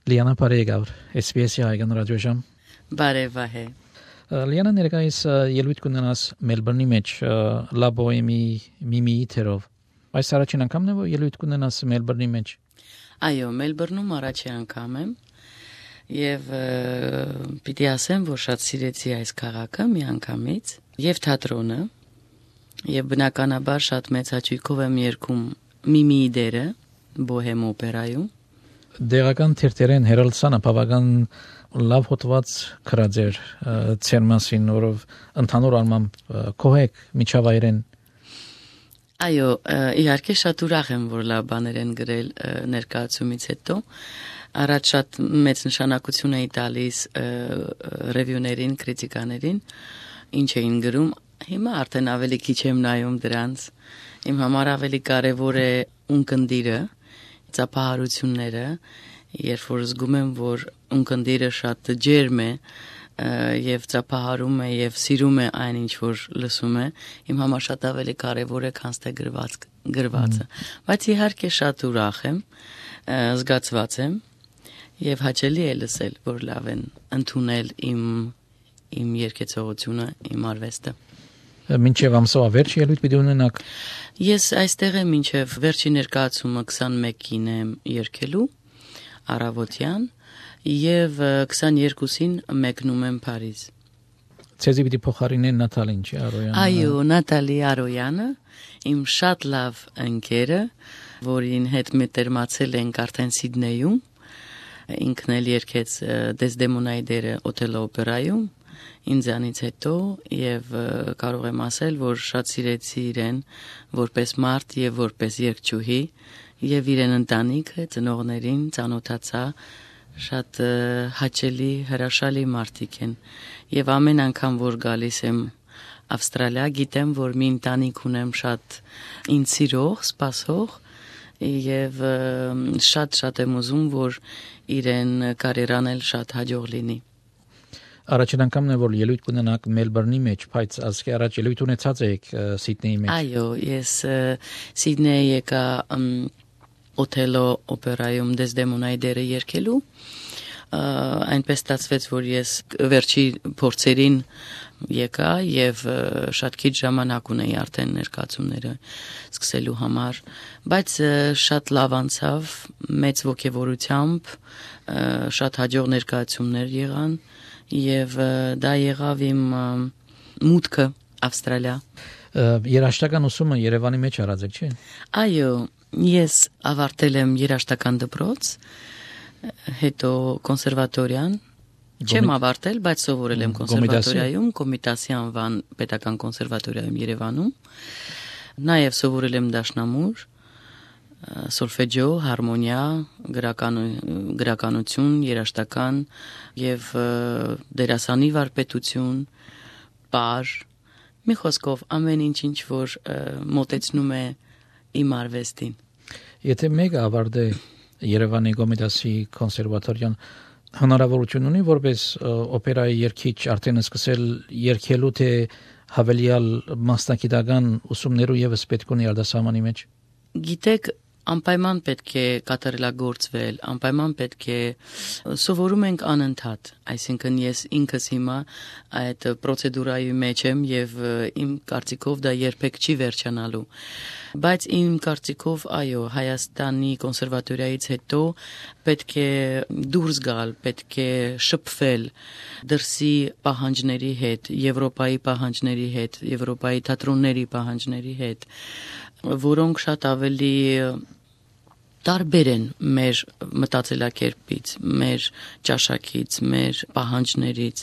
Լիանա Պարեգավ, SBS-ի հայկական ռադիոժամ։ Բարևահե։ Լիանա ներկայիս ելույթ կունենաս Մելբուրնի մեջ La Boheme Mimi թերով։ Այս առաջին անգամն է, որ ելույթ կունենաս Մելբուրնի մեջ։ Այո, Մելբուրնում առաջին անգամ եմ եւ պիտի ասեմ, որ շատ սիրեցի այս քաղաքը մի անգամից եւ թատրոնը եւ բնականաբար շատ մեծ հաճույքով եմ երգում Միմիի դերը Բոհեմ օպերայում։ Դերական թերթերեն հերալսանը բավական լավ հոտված քրաձեր ցեր մասին, որով ընդհանուր առմամբ կողեք միջավայրեն։ Այո, իհարկե շատ ուրախ եմ, որ լավ բաներ են գրել ներկայացումից հետո։ Առաջ շատ մեծ նշանակություն էի տալիս ռևյուներին, քրիտիկաներին, ինչ էին գրում։ Հիմա արդեն ավելի քիչ եմ նայում դրանց։ Իմ համար ավելի կարևոր է ունկնդիրը, ծափահարությունները, երբ որ զգում եմ, որ ունկնդիրը շատ ջերմ է եւ ծափահարում է եւ սիրում է այն ինչ որ լսում է, իմ համար շատ ավելի կարևոր է, քան թե գրվածը։ Բայց իհարկե շատ ուրախ եմ, զգացված եմ եւ հաճելի է լսել, որ լավ են ընդունել իմ երգեցողությունը, իմ արվեստը։ Մինչև ամսվա վերջ ելույթ պիտի ունենաք։ Ես այստեղ եմ մինչև վերջի ներկայացումը 21-ին եմ երգելու առավոտյան եւ 22-ին մեկնում եմ Փարիզ։ Ցեզի պիտի փոխարինեն Նատալին, չէ՞, Արոյանը։ Այո, Նատալի Արոյանը, իմ շատ լավ ընկերը, որին հետ մտերմացել ենք արդեն Սիդնեյում, ինքն էլ երգեց Դեսդեմոնայի դերը Օթելո օպերայում, ինձանից հետո եւ կարող եմ ասել, որ շատ սիրեցի իրեն որպես մարդ եւ որպես երգչուհի եւ իրեն ընտանիքը, ծնողներին ծանոթացա, շատ հաճելի, հրաշալի մարդիկ են եւ ամեն անգամ որ գալիս եմ Ավստրալիա, գիտեմ, որ մի ընտանիք ունեմ շատ ինձ սիրող, սպասող եւ շատ եմ ուզում, որ իրեն կարիերան էլ շատ հաջող լինի։ Առաջին անգամն է, որ ելույթ կունենաք Մելբուրնի մեջ, բայց ասկի առաջ ելույթ ունեցած եք Սիդնեի մեջ։ Այո, ես Սիդնեի եկա Օթելո օպերայում Դեսդեմոնայի դերը երգելու, այնպես ստացվեց, որ ես վերջի փորձերին եկա եւ շատ քիչ ժամանակ ունեի արդեն ներկայացումները սկսելու համար, բայց շատ լավ անցավ, մեծ ողջավորությամբ, շատ հաջող ներկայացումներ եղան եւ դա եղավ իմ մուտքը Ավստրալիա։ Երաժշտական ուսումը Երևանի մեջ արած եք, չէ՞։ Այո, ես ավարտել եմ երաժշտական դպրոց, հետո կոնսերվատորիան չեմ ավարտել, բայց սովորել եմ կոնսերվատորիայում, Կոմիտասի անվան պետական կոնսերվատորիայում Երևանում, նաեւ սովորել եմ դաշնամուր, սոլֆեջիո, հարմոնիա, գրականություն, երաժշտական եւ դերասանի վարպետություն, պար, մի խոսքով ամեն ինչ որ մոտեցնում է իմ արվեստին։ Եթե մեկը ավարտե Երևանի Կոմիտասի կոնսերվատորիան, հնարավորություն ունի որպես օպերայի երգիչ արդեն սկսել երգելու, թե հավելյալ մասնագիտական ուսումներու եւս պետք ունի արտասահմանի մեջ։ Գիտեք, անպայման պետք է կատարելագործվել, անպայման պետք է սովորում ենք անընդհատ, այսինքն ես ինքս հիմա այդ պրոցեդուրայի մեջ եմ եւ իմ կարծիքով դա երբեք չի վերջանալու, բայց իմ կարծիքով այո, Հայաստանի կոնսերվատորիայից հետո պետք է դուրս գալ, պետք է շփվել դրսի պահանջների հետ, Եվրոպայի պահանջների հետ, Եվրոպայի թատրոնների պահանջների հետ, որոնք շատ ավելի տարբեր են մեր մտածելակերպից, մեր ճաշակից, մեր պահանջներից։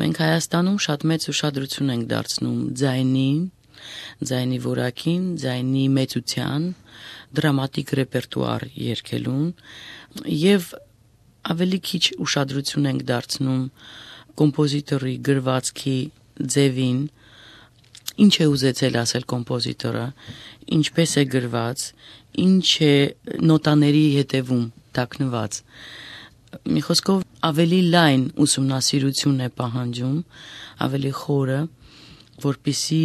Մենք Հայաստանում շատ մեծ ուշադրություն ենք դարձնում ձայնին, ձայնի որակին, ձայնի մեծության, դրամատիկ ռեպերտուար երգելուն եւ ավելի քիչ ուշադրություն ենք դարձնում կոմպոզիտորի գրվածքի ձևին, ինչ է ուզեցել ասել կոմպոզիտորը, ինչպես է գրված, ինչ է նոտաների հետևում տակնված։ Մի խոսքով ավելի լայն ուսումնասիրություն է պահանջում, ավելի խորը, որպեսզի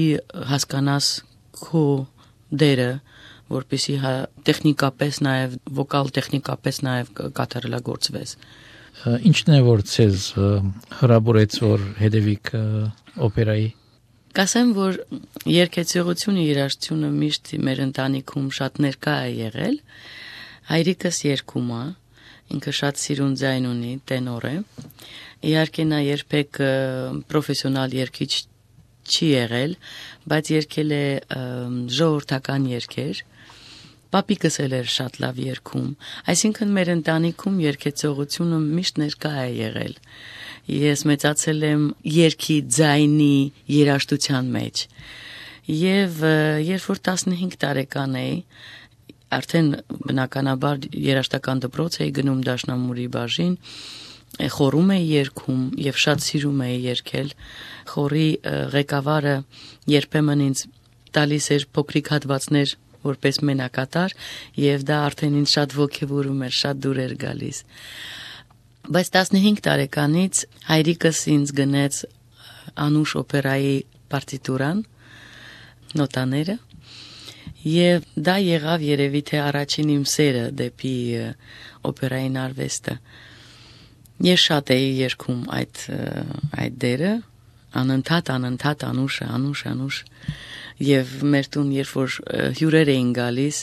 հասկանաս քո դերը, որպեսզի տեխնիկապես նաև վոկալ տեխնիկապես նաև կատարելագործվես։ Ինչն է որ ցեզ հրաբուրեց որ հետևիկ օպերայի։ Կասեմ, որ երգեցողությունը երաժշտությունը միշտ մեր ընտանիքում շատ ներկա է եղել։ Հայրիկս երգում է, ինքը շատ սիրուն ձայն ունի, տենոր է։ Իհարկե նա երբեք պրոֆեսիոնալ երգիչ չի եղել, բայց երգել է ժողովրդական երգեր։ Պապիկս էլ էր շատ լավ երգում, այսինքն մեր ընտանիքում երգեցողությունը միշտ ներկա է եղել։ Ես մեծացել եմ երգի ձայնի երաժշտության մեջ։ Եվ երբ որ 15 տարեկան էի, արդեն բնականաբար երաժշտական դպրոց էի գնում Դաշնամուրի բաժին, խորում էի երգում եւ շատ սիրում էի երգել։ Խորի ղեկավարը երբեմն ինձ տալիս էր փոքրիկ հատվածներ որպես մենակատար եւ դա արդեն ինձ շատ ոգևորում էր, շատ դուր էր գալիս։ Բայց 15 տարեկանից հայրիկս ինձ գնեց Անուշ օպերայի պարտիտուրան, նոտաները, եւ դա եղավ երևի թե առաջին իմ սերը դեպի օպերային արվեստը։ Ես շատ էի երգում այդ դերը, անընդհատ Անուշ եւ մեր տուն երբ որ հյուրեր էին գալիս,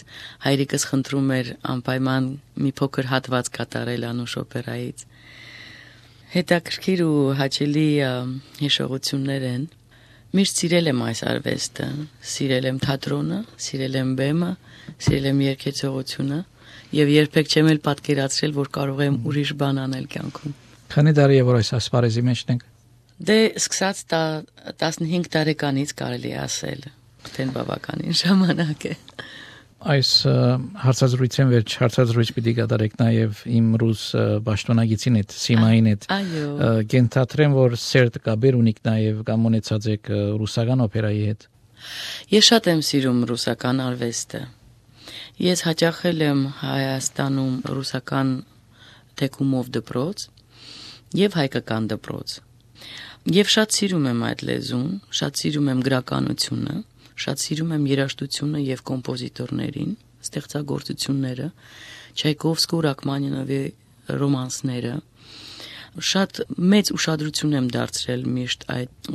հայրիկս խնդրում էր անպայման մի փոքր հատված կատարել Անուշ օպերայից։ Հետաքրքիր ու հաճելի հիշողություններ են։ Միշտ սիրել եմ այս արվեստը, սիրել եմ թատրոնը, սիրել եմ բեմը, սիրել եմ երգեցողությունը եւ երբեք չեմ էլ պատկերացրել, որ կարող եմ ուրիշ բան անել կյանքում։ Քանի տարի է որ այս ասպարեզի մեջն եք։ Դե սկսած 15 տարեկանից կարելի է ասել, արդեն բավականին ժամանակ է։ Այս հարցազրույցին վերջ հարցազրույց պիտի կատարեք նաև իմ ռուս պաշտոնագիտին հետ, Սիմային հետ։ Կենթադրեմ, որ սերտ կաբեր ունիք նաև կամ ունեցած եք ռուսական օպերայի հետ։ Ես շատ եմ սիրում ռուսական արվեստը։ Ես հաճախել եմ Հայաստանում ռուսական թեկումով դպրոց եւ հայկական դպրոց։ Եվ շատ սիրում եմ այդ լեզուն, շատ սիրում եմ գրականությունը, շատ սիրում եմ երաժշտությունը եւ կոմպոզիտորներին, ստեղծագործությունները, Չայկովսկու, Ռախմանինովի ռոմանսները։ Շատ մեծ ուշադրություն եմ դարձրել միշտ այդ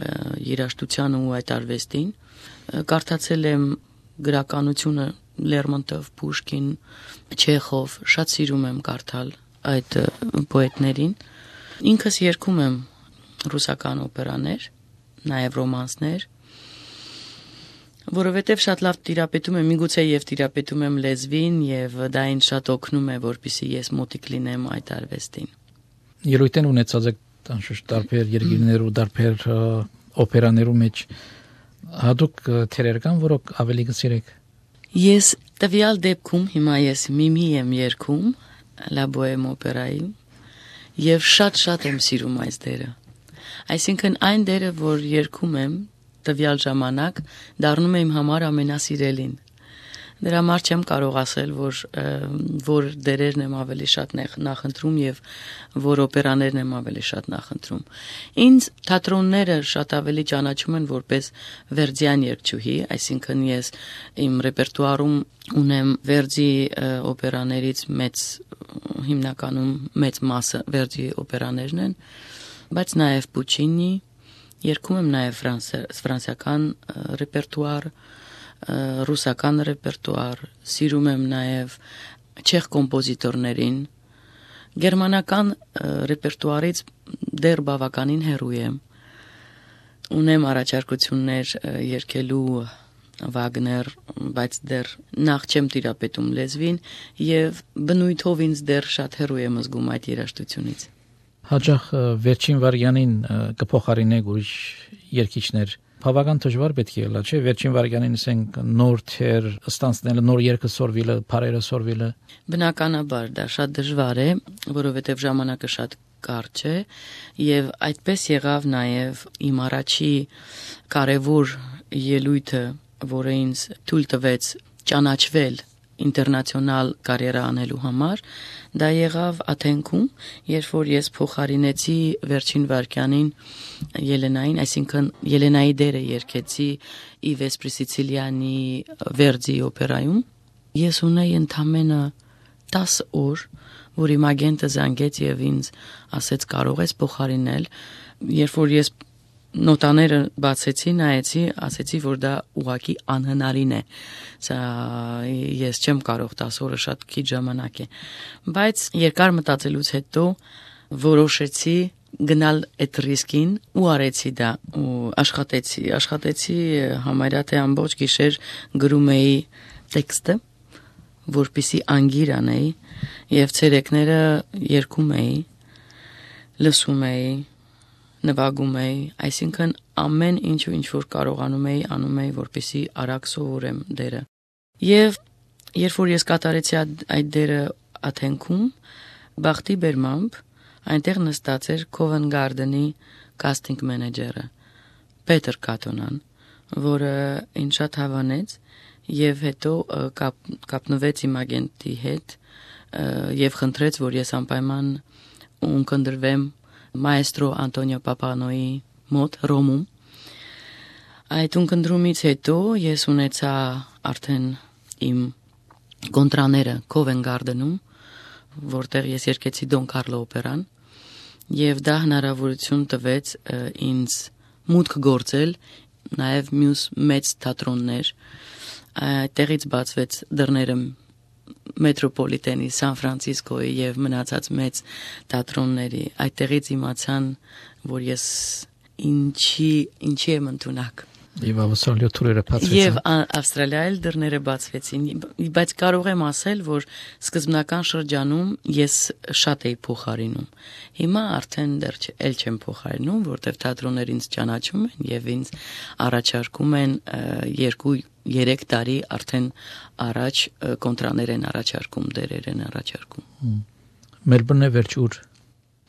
երաժշտությանը ու այդ արվեստին։ Կարդացել եմ գրականությունը Լերմոնտով, Պուշկին, Չեխով, շատ սիրում եմ կարդալ այդ պոետներին։ Ինքս երգում եմ ռուսական օպերաներ, նաև ռոմանսներ, որովհետև շատ լավ տիրապետում եմ, միգուցե եւ տիրապետում եմ լեզվին եւ դա ինձ շատ օգնում է, որպեսզի ես մոտիկ լինեմ այդ արվեստին։ Ելույթ ունեցած եք անշուշտ տարբեր երկիրներու, տարբեր օպերաներու մեջ հատուկ թերեր կան, որոնք ավելի կսիրեք։ Ես տվյալ դեպքում հիմա ես Միմի եմ երգում La Bohème օպերայում եւ շատ եմ սիրում այս դերը։ Այսինքն այն դերը, որ երգում եմ տվյալ ժամանակ, դառնում է իմ համար ամենասիրելին։ Դրա համար չեմ կարող ասել, որ դերերն եմ ավելի շատ նախընտրում եւ որ օպերաներն եմ ավելի շատ նախընտրում։ Ինձ թատրոնները շատ ավելի ճանաչում են որպես Վերդիան երգչուհի, այսինքն ես իմ ռեպերտուարում ունեմ Վերդի օպերաներից հիմնականում մեծ մասը Վերդի օպերաներն են, բայց նաեւ Պուչինի, երգում եմ նաեւ ֆրանսիական ռեպերտուար, ռուսական ռեպերտուար, սիրում եմ նաև չեխ կոմպոզիտորներին, գերմանական ռեպերտուարից դեռ բավականին հեռու եմ, ունեմ առաջարկություններ երգելու Վագներ, բայց դեռ նախ չեմ տիրապետում լեզվին եւ բնույթով ինձ դեռ շատ հեռու եմ զգում այդ երաժշտությունից։ Հաճախ վերջին վարյանին կփոխարինեք ուրիշ երգիչներ։ Բավական դժվար պետք է լա, չէ՞, վերջին վարյանին ասենք նոր թեր ստանցնելը, նոր երգը սորվելը, բարերը սորվելը։ Բնականաբար դա շատ դժվար է, որովհետև ժամանակը շատ կարճ է եւ այդպես եղավ նաեւ իմ առաջի կարևոր ելույթը, որը ինձ թույլ տվեց ճանաչվել ինտերնացիոնալ կարիերա անելու համար, դա եղավ Աթենքում, երբ որ ես փոխարինեցի վերջին վարքյանին Ելենային, այսինքն Ելենայի դերը երգեցի Իվես Պրիսիցիլյանի Վերդի օպերայում, Ես ունեի ընդամենը 10 օր, որ իմ ագենտը զանգեց եւ ինձ ասեց կարող ես փոխարինել, երբ որ ես նոտաները բացեցի, նայեցի, ասեցի, որ դա ուղղակի անհնարին է։ Սա ես չեմ կարող 10 օրը շատ քիչ ժամանակ է։ Բայց երկար մտածելուց հետո որոշեցի գնալ այդ ռիսկին ու արեցի դա ու աշխատեցի համարյա թե ամբողջ գիշեր գրում էի տեքստը, որպեսզի անգիր անեի եւ ցերեկները երգում էի, լսում էի, նվագում էի, այսինքն ամեն ինչ որ կարողանում էի, անում էի, որպեսզի արագ սովորեմ դերը։ Եվ երբ որ ես կատարեցի այդ դերը Աթենքում, բախտի բերմամբ այնտեղ նստած էր Covent Garden-ի casting manager-ը Պետր Կատոնան, որը ինձ շատ հավանեց եւ հետո կապնվեց իմ ագենտի հետ եւ խնդրեց, որ ես անպայման ունկնդրվեմ Մայստրո Անտոնիո Պապանոյի մոտ Ռոմում։ Այդ ունկնդրումից հետո ես ունեցա արդեն իմ կոնտրաները Covent Garden-ում, որտեղ ես երգեցի Դոն Կարլո օպերան, եւ դա հնարավորություն տվեց ինձ մուտք գործել նաեւ մյուս մեծ թատրոններ։ Այդտեղից բացվեց դռները Մետրոպոլիտենի, Սան Ֆրանցիսկոյի եւ մնացած մեծ թատրոնների։ Այդտեղից իմացան, որ ես ինչի եմ ընդունակ։ Եվ Ավստրալիա թուրերը բացվեցին։ Եվ Ավստրալիայել դռները բացվեցին, բայց կարող եմ ասել, որ սկզբնական շրջանում ես շատ էի փոխարինում։ Հիմա արդեն դեռ չեմ փոխարինում, որտեղ թատրոններ ինձ ճանաչում են եւ ինձ առաջարկում են 2-3 տարի արդեն առաջ կոնտրաներ են առաջարկում, դերեր են առաջարկում։ Մելբուրնը վերջ ուր։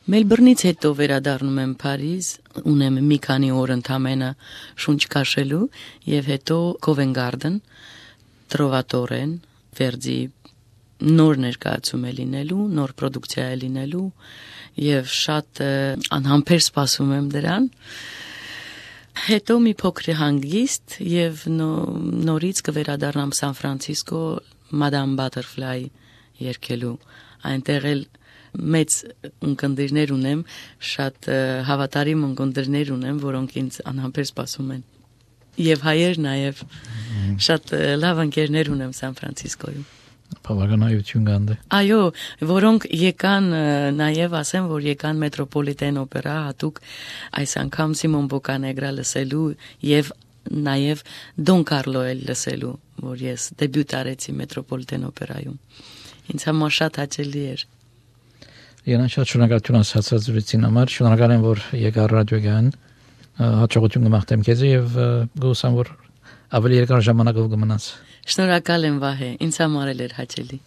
Մելբուրնից հետո վերադառնում եմ Փարիզ, ունեմ մի քանի օր ընդամենը շունչ քաշելու եւ հետո Covent Garden, Trovatore-ն, Verdi նոր ներկայացում է լինելու, նոր պրոդուկցիա է լինելու եւ շատ անհամբեր սպասում եմ դրան։ Հետո մի փոքր հանգիստ եւ նորից կվերադառնամ Սան Ֆրանցիսկո Madame Butterfly երգելու, այնտեղ էլ մեծ ունկնդիրներ ունեմ, շատ հավատարիմ ունկնդիրներ ունեմ, որոնք ինձ անհամբեր սպասում են։ Եվ հայեր նաև շատ լավ ընկերներ ունեմ Սան Ֆրանցիսկոյում։ Բավականայություն կան դե։ Այո, որոնք եկան նաև ասեմ, որ եկան Մետրոպոլիտեն օպերա հատուկ այս անգամ Սիմոն Բոկանեգրա լսելու եւ նաև Դոն Կարլո էլ լսելու, որ ես դեբյուտ արեցի Մետրոպոլիտեն օպերայում։ Ինձ համար շատ հաճելի էր։ Երանք շատ շնորհակալություն ասացած զրույցին համար, շնորհակալ եմ, որ եկար ռադիոգան, հաջողություն կմաղթեմ քեզ եւ գուսամ, որ ավելի երկար ժամանակով կմնաս։ Շնորհակալ եմ Վահե, ինձ համար էլ էր հաճելի։